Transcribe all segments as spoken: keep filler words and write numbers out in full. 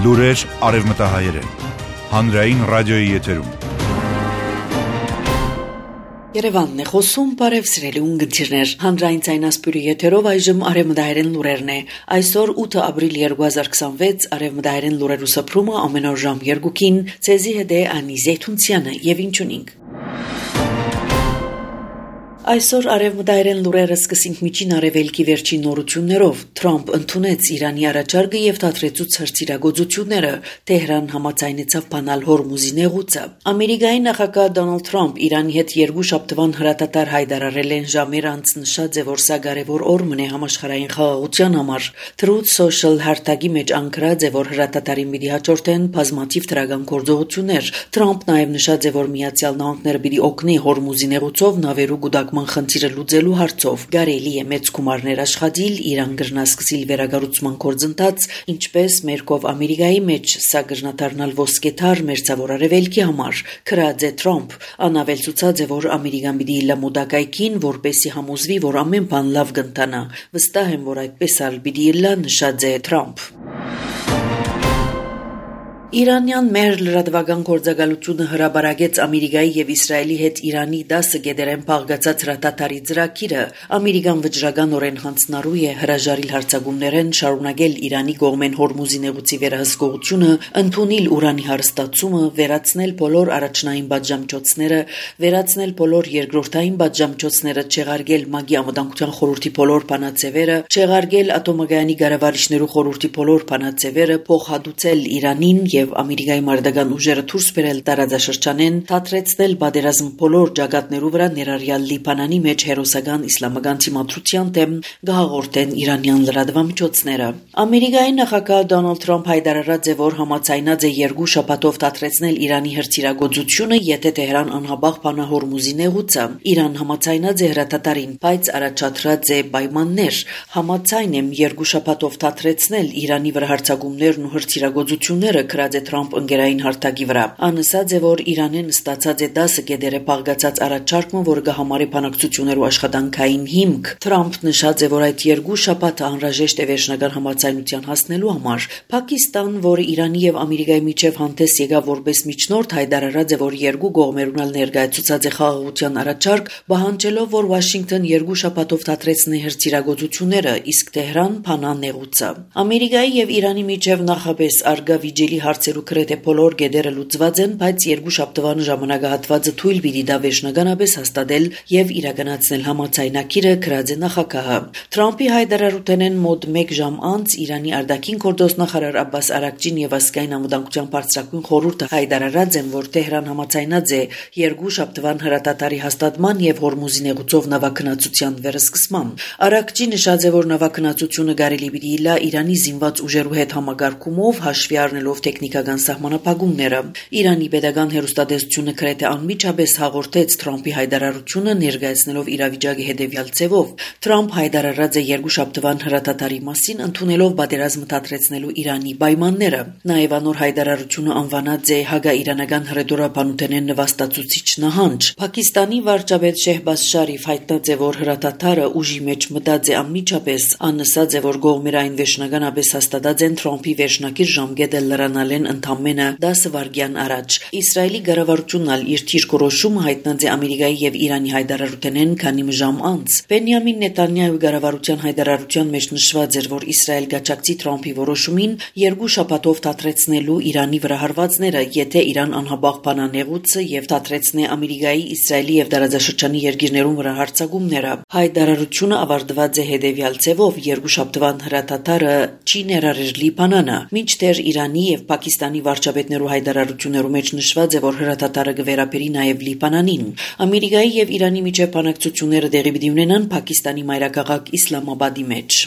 Լուրեր արևմտահայերեն, հանրային ռադիոյի եթերում։ Երևանն է խոսում, բարև սիրելի ունգընտիրներ, հանրային ցայնասպյուրի եթերով այժմ արևմտահայերեն լուրերն է։ Այսօր ութ ապրիլ երկու հազար քսանվեց, արևմտահայերեն լուրերու սփռումը ամեն օր ժամ երկուքին, ցեզի հետ է Անի Զեյթունցյանը եւ ինչունինք։ Այսօր արևմտահայերեն լուրերը սկսենք միջին արևելքի վերջին նորություններով։ Թրամփ ընդունեց Իրանի առաջարկը եւ դադարեցուց հրթիռագործությունները։ Թեհրան համաձայնեցավ բանալ Հորմուզի նեղուցը։ Ամերիկայի նախագահ Դոնալդ Թրամփ Իրանի հետ երկու շաբթվան հրատատար հայտարարել են ժամեր անց նշած է, որ սա կարևոր օրմն է համաշխարհային խաղաղության համար։ Truth Social հարտակի մեջ անկրած է, որ հրատատարին պիտի հաջորդեն բազմաթիվ դրական գործողություններ։ Թրամփ նաեւ նշած է, որ Միացյալ Նահանգները պիտի օգնի Հորմուզի նեղուցով նավերու գուտակման խնդիրը լուծելու հարցով։ Կարելի է մեծ գումարներ աշխատել, Իրան գրնասկսիլ վերագառուցման գործընթաց, ինչպես մերկով Ամերիկայի մեջ սա գրնադառնալ ոսկեթար մերձավոր արևելքի համար։ Քրած է Թրամփ, անավելցուցած է, որ Ամերիկան պիտի լամոդակայքին, որպեսի համոզվի, որ ամեն բան լավ կընթանա։ Վստահ եմ, որ այդպես ալ պիտի լա, նշած է Թրամփ։ Իրանյան մեր լրատվական գործակալությունը հրաբարակեց Ամերիկայի եւ Իսրայելի հետ Իրանի դասը գեդերեն փաղկացած հրատատարի ծրագիրը։ Ամերիկան վճռականորեն հանձնարարու է հրաժարիլ հարձակումներեն շարունակել Իրանի կողմեն Հորմուզի նեղուցի վերահսկողությունը, ընդունել ուրանի հարստացումը, վերացնել բոլոր առաջնային բաժամիջոցները, վերացնել բոլոր երկրորդային բաժամիջոցները, չեղարկել ՄԱԳ-ի անվտանգության խորհրդի բոլոր բանաձևերը, չեղարկել ատոմակայանի կառավարիչներու խորհրդի բոլոր բանաձևերը, փոխհատուցել Իրանին եւ Ամերիկայի մարտական ուժերը դուրս բերել տարածաշրջանեն, դադարեցնել պատերազմ բոլոր ճակատներու վրա, ներառյալ Լիբանանի մեջ հերոսական իսլամական դիմադրության դեմ գահաղորդեն իրանյան լրատվամիջոցները։ Ամերիկայի նախագահ Դոնալդ Թրամփ հայտարարած է, որ համաձայնած է երկու շաբաթով դադարեցնել Իրանի հրթիռագործությունը, եթե Թեհրան անհաբաղ բանա Հորմուզի նեղուցը։ Իրան համաձայնած է հրատատարին, բայց առաջադրած է պայմաններ։ Համաձայն եմ երկու շաբաթով դադարեցնել Իրանի վրա հարձակումներն ու հրթիռագործությունները, քրած է Թրամփ ընկերային հարթակի վրա։ Անսած է, որ Իրանեն ստացած է դասը գեդերը փաղկացած առաջարկը, որը կհամարի բանակցություններու աշխատանքային հիմք։ Թրամփ նշած է, որ այդ երկու շաբաթը անհրաժեշտ է վերջնական համաձայնության հասնելու համար։ Պակիստան, որը Իրանի եւ Ամերիկայի միջև հանդես եկավ որպես միջնորդ, հայտարարած է, որ երկու կողմերուն ալ ներկայացուցած է խաղաղության առաջարկ, պահանջելով, որ Վաշինգտոն երկու շաբաթով դադարեցնի հրթիռագործությունները, իսկ Թեհրան փանա նեղուցը։ Ամերիկայի եւ Իրանի միջև նախապես արգա վիճելի հարցերու գրեթե բոլոր գեդերը լուծված են, բայց երկու շաբթվան ժամանակահատվածը թույլ պիտի դա վերջնականապես հաստատել եւ իրականացնել համաձայնագիրը, գրած է նախագահը։ Թրամփի հայտարարութենեն մոտ մեկ ժամ անց Իրանի արտաքին գործոստնախարար Աբբաս Արաքչին եւ ազգային անվտանգության բարձրագույն խորհուրդը հայտարարած են, որ Թեհրան համաձայնած է երկու շաբթվան հրատատարի հաստատման եւ Հորմուզի նեղուցով նավակնացության վերսկսման։ Արաքչի նշած է, որ նավակնացությունը կարելի պիտի լա Իրանի զինված ուժերու հետ համագարկումով, հաշվի առնելով տեխնիկական սահմանափակումները։ Իրանի պետական հեռուստատեսությունը գրեթե անմիջապես հաղորդեց Թրամփի հայտարարությունը, ներկայացնելով իրավիճակի հետևյալ ձևով։ Թրամփ հայտարարած է երկու շաբթվան հրատատարի մասին, ընդունելով պատերազմը դադարեցնելու Իրանի պայմանները։ Նաև անոր հայտարարությունը անվանած է հակաիրանական հռետորաբանութենեն նվաստացուցիչ նահանջ։ Պակիստանի վարչապետ Շեհբազ Շարիֆ հայտնած է, որ հրատատարը ուժի մեջ մտած է անմիջապես, աննսած է, որ կողմերային վերջնականապես հաստատած են Թրամփի վերջնակիր ժամկետը լրանալեն ընդամենը դասը վայրկյան առաջ։ Իսրայելի կառավարությունն ալ իր թիրքորոշումը հայտնած է Ամերիկայի եւ Իրանի հայտարարութենեն քանի ժամ անց։ Բենյամին Նետանյահու կառավարության հայտարարության մեջ նշված էր, որ Իսրայել գաչակցի Թրամփի որոշումին երկու շաբաթով դադարեցնելու Իրանի վրա հարվածները, եթե Իրան անհաբաղ բանա նեղուցը եւ դադարեցնե Ամերիկայի, Իսրայելի եւ տարածաշրջանի երկիրներուն վրա հարձակումները։ Հայտարարությունը ավարտված է հետեւյալ ձևով. երկու շաբթվան հրատատարը չի ներառել Լիբանանը, մինչդեռ Իրանի եւ Պակիստանի վարչապետներու հայտարարություններու մեջ նշված է, որ հրատատարը կվերապերի նաեւ Լիբանանին։ Ամերիկայի եւ Իրանի միջև բանակցությունները տեղի պիտի ունենան Պակիստանի մայրաքաղաք Իսլամաբադի մեջ։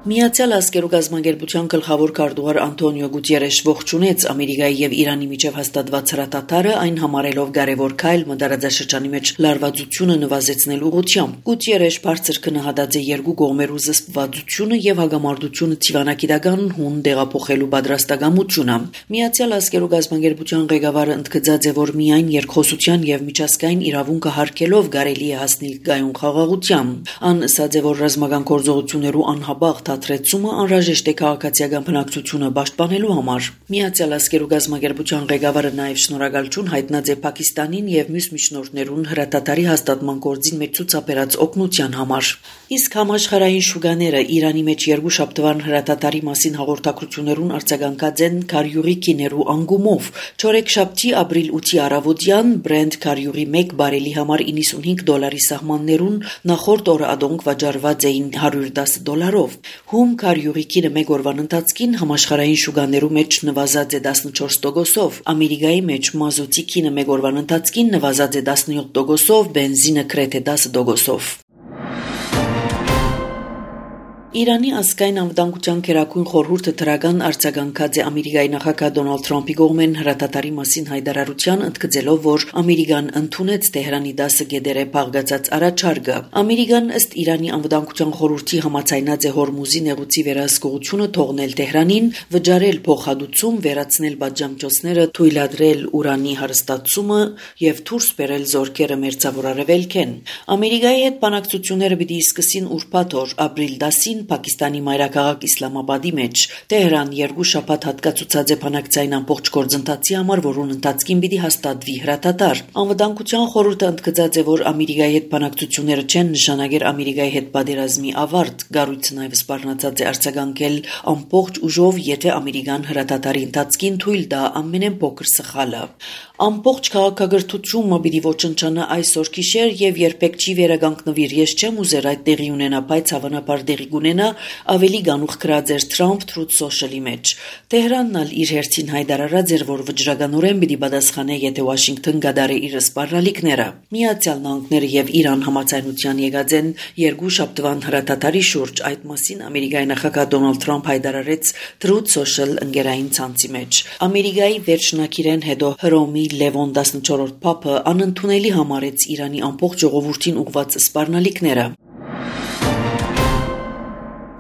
Միացյալ Ազգերու կազմակերպության գլխավոր քարտուղար Անտոնիո Գուտիերեշ ողջունեց Ամերիկայի եւ Իրանի միջև հաստատված հրատատարը, այն համարելով կարևոր քայլ մտարածաշրջանի մեջ լարվածությունը նվազեցնելու ուղղությամբ։ Գուտիերեշ բարձր գնահատած է երկու կողմերու զսպվածությունը եւ հագամարտությունը ցիվանագիտական հուն դեղափոխելու պատրաստակամությունը։ Միացյալ Ազգերու կազմակերպության ղեկավարը ընդգծած է, որ միայն երկխոսության եւ միջազգային իրավունքը հարգելով կարելի է հասնել գայուն խաղաղության։ Ան ասաց է, որ ռազմական գործողություններու անհաբաղ թատրեցումը անհրաժեշտ է քաղաքացիական բնակչությունը պաշտպանելու համար։ Միացյալ Ազգերու գազագերբության ղեկավարը նաև շնորհակալություն հայտնած է Պակիստանին եւ մյուս միջնորդներուն հրատատարի հաստատման գործին մեջ ցուցաբերած օգնության համար։ Իսկ համաշխարհային շուկաները Իրանի մեջ երկու շաբթվան հրատատարի մասին հաղորդակցություններուն արձագանքած են քարյուղի քիներու անգումով։ Չորեքշաբթի ապրիլ ութի առավոտյան Brent քարյուղի մեկ բարելի համար իննսունհինգ դոլարի սահմաններուն նախորդ օրը ադոնք վաճառված էին հարյուր դասը դոլարով։ Հում քարյուղի քինը մեկ օրվան ընթացքին համաշխարհային շուկաներու մեջ նվազած է տասնչորս տոկոսով, Ամերիկայի մեջ մազութի քինը մեկ օրվան ընթացքին նվազած է տասնյոթ տոկոսով, բենզինը գրեթե դասը տոկոսով։ Իրանի ազգային անվտանգության քերակույն խորհուրդը դրական արձագանքած է Ամերիկայի նախագահ Դոնալդ Թրամփի կողմեն հրատատարի մասին հայտարարության, ընդգծելով, որ Ամերիկան ընդունեց Թեհրանի դասը գեդերը փաղկացած առաջարկը։ Ամերիկան ըստ Իրանի անվտանգության խորհրդի համաձայնած է Հորմուզի նեղուցի վերահսկողությունը թողնել Թեհրանին, վճարել փոխհատուցում, վերացնել պատժամիջոցները, թույլատրել ուրանի հարստացումը եւ դուրս բերել զորքերը մերձավոր արևելքեն։ Ամերիկայի հետ բանակցությունները պիտի սկսին ուրբաթ օր ապրիլ դասին Պակիստանի մայրաքաղաք Իսլամաբադի մեջ։ Տեհրան երկու շաբաթ հատկացուցած է բանակցային ամբողջ գործընթացի համար, որոնց ընթացքին պիտի հաստատվի հրատատար։ Անվտանգության խորհուրդը ընդգծած է, որ Ամերիկայի հետ բանակցությունները չեն նշանակել Ամերիկայի հետ պատերազմի ավարտ։ Գառույցը նաև սպառնացած է արձագանքել ամբողջ ուժով, եթե Ամերիկան հրատատարի ընթացքին թույլ տա ամենեն փոքր սխալը։ Ամբողջ քաղաքագրթությունը պիտի ոչնչանա այսօր գիշեր եւ երբեք չի վերականգնվիր։ Ես չեմ ուզեր այդ տեղի ունենա, բայց հավանաբար տեղի կունենա, ավելի գանուխ գրած էր Trump Truth Social-ի մեջ։ Տեհրանն ալ իր հերթին հայտարարած էր, որ վճռականորեն պիտի պատասխանե, եթե Վաշինգտոն գադարի իր սպառնալիքները։ Միացյալ Նահանգները եւ Իրան համաձայնության եկած են երկու շաբթվան հրատատարի շուրջ։ Այդ մասին Ամերիկայի նախագահ Դոնալդ Թրամփ հայտարարեց Truth Social ընկերային ցանցի մեջ։ Ամերիկայի վերջնակիրեն հետո Հռոմի Լևոն տասնչորրորդ փափը անընդունելի համարեց Իրանի ամբողջ ժողովրդին ուղված սպառնալիքները։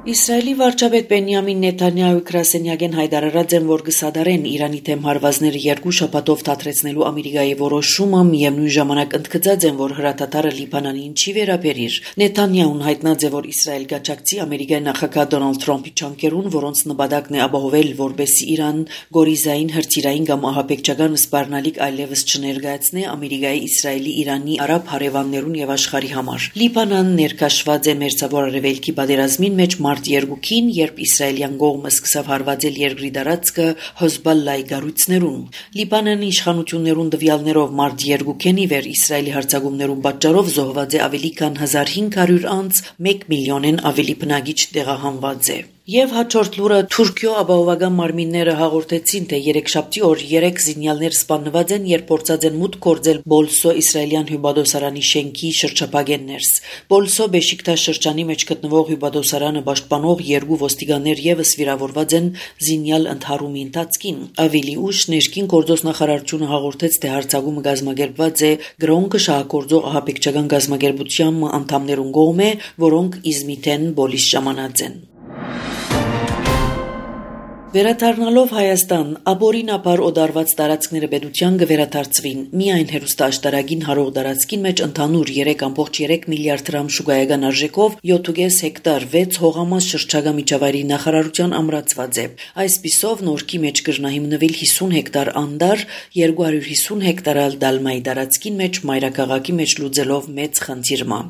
Իսրայելի վարչապետ Բենյամին Նեթանյահու գրասենյակեն հայտարարած են, որ կսադարեն Իրանի թեմ հարվածները երկու շաբաթով թատրեցնելու Ամերիկայի որոշումը, միևնույն ժամանակ ընդգծած են, որ հրատատարը Լիբանանին չի վերաբերիր։ Նեթանյահուն հայտնած է, որ Իսրայել գաչակցի Ամերիկայի նախագահ Դոնալդ Թրամփի ճանկերուն, որոնց նպատակն է ապահովել, որբեսի Իրան գորիզային, հրթիռային կամ ահաբեկչական սպառնալիք այլևս չներկայացնե Ամերիկայի, Իսրայելի, Իրանի, արաբ հարևաններուն եւ աշխարհի համար։ Լիբանանն ներկաշված է մերձավոր արևելքի պատերազմին մեջ մարտ երկուքին, երբ իսրայելյան կողմը սկսավ հարվածել երկրի տարածքը Հեզբոլլայի գառույցներուն։ Լիբանանի իշխանություններուն տվյալներով մարտ երկուքին ի վեր Իսրայելի հարձակումներուն պատճառով զոհված է ավելի քան հազար հինգ հարյուր անձ, մեկ միլիոնեն ավելի բնակիչ տեղահանված է։ Եվ հաջորդ լուրը Թուրքիո ապահովական մարմինները հաղորդեցին, թե երեքշաբթի օր երեք զինյալներ սպանված են, երբ փորձած են մուտք գործել Բոլսո իսրայելյան հյուպատոսարանի շենքի շրջապագեն ներս։ Բոլսո Բեշիկտաշ շրջանի մեջ գտնվող հյուպատոսարանը պաշտպանող երկու ոստիկաններ եւս վիրավորված են զինյալ ընդհարումի ընթացքին։ Ավելի ուշ ներքին գործոս նախարարությունը հաղորդեց, թե հարձակումը կազմակերպված է Գրոնկը շահագործող ահաբեկչական կազմակերպության անդամներուն կողմէ, որոնք Իզմիթեն բոլիս ժամանած են։ Վերադառնալով Հայաստան, ապօրինաբար օդարված տարածքները պետության կվերադարձվին։ Միայն հերոստաշտարագին հարող տարածքին մեջ ընդհանուր երեք կόμ երեք միլիարդ դրամ շուկայական արժեքով յոթ կես հեկտար վեց հողամաս շրջակա միջավայրի նախարարության ամրացված է։ Այսպիսով նորքի մեջ կրնահիմնվել հիսուն հեկտար անդար, երկու հարյուր հիսուն հեկտարալ դալմայի տարածքին մեջ մայրաքաղաքի մեջ լուծելով մեծ խնդիրը։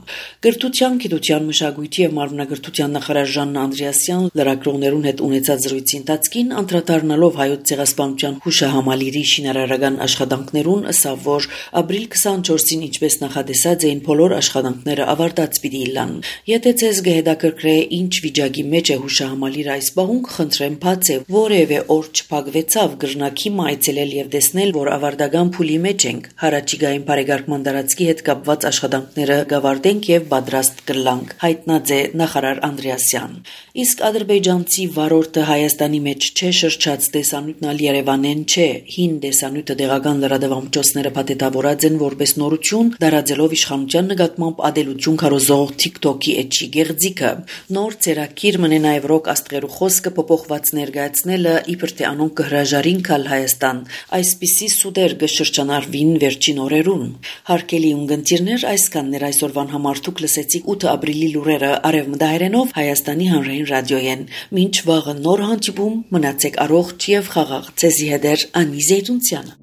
Գրթության, գիտության, մշակույթի եւ մարմնագրթության նախարար Ժաննա Անդրեասյան լրագրողներուն հետ ունեցած զրույցի ընթացքում անդրադառնալով հայոց ցեղասպանության հուշահամալիրի շինարարական աշխատանքներուն, ըսավ, որ ապրիլ քսանչորսին ինչպես նախադեսած էին բոլոր աշխատանքները ավարտած պիտի լան։ Եթե ցեզ կհետաքրքրե ինչ վիճակի մեջ է հուշահամալիրը այս բահուն, խնդրեմ բացե, որևէ օր չփակվեցավ գրնակի այցելել եւ տեսնել, որ ավարտական փուլի մեջ ենք։ Հարաճիգային բարեկարգման տարածքի հետ կապված աշխատանքները կավարտենք եւ պատրաստ կլանք, հայտնած է նախարար Անդրեասյան։ Իսկ ադրբեջանցի վարորդը Հայաստանի մեջ մեջ չէ շրջած տեսանյութն ալ Երևանեն չէ, հին տեսանյութը դեղական լրատվամիջոցները փաթեթավորած են որպես նորություն, դարաձելով իշխանության նկատմամբ ադելություն քարոզող TikTok-ի էջի գեղձիկը։ Նոր ցերակիր մնե նաև ռոք աստղերու խոսքը փոփոխված ներկայացնելը իբր թե անոնք կհրաժարին կալ Հայաստան, այսպիսի սուդեր կշրջանառվին վերջին օրերուն։ Հարկելի ունգընտիրներ, այսքաններ այսօրվան համար դուք լսեցիք ութ ապրիլի լուրերը արևմտահայերենով Հայաստանի հանրային ռադիոյեն։ Մինչ վաղը նոր հանդիպում, մնացեք առողջ եւ խաղաղ։ Ցեզի հետ Անի Զեյթունցյանը։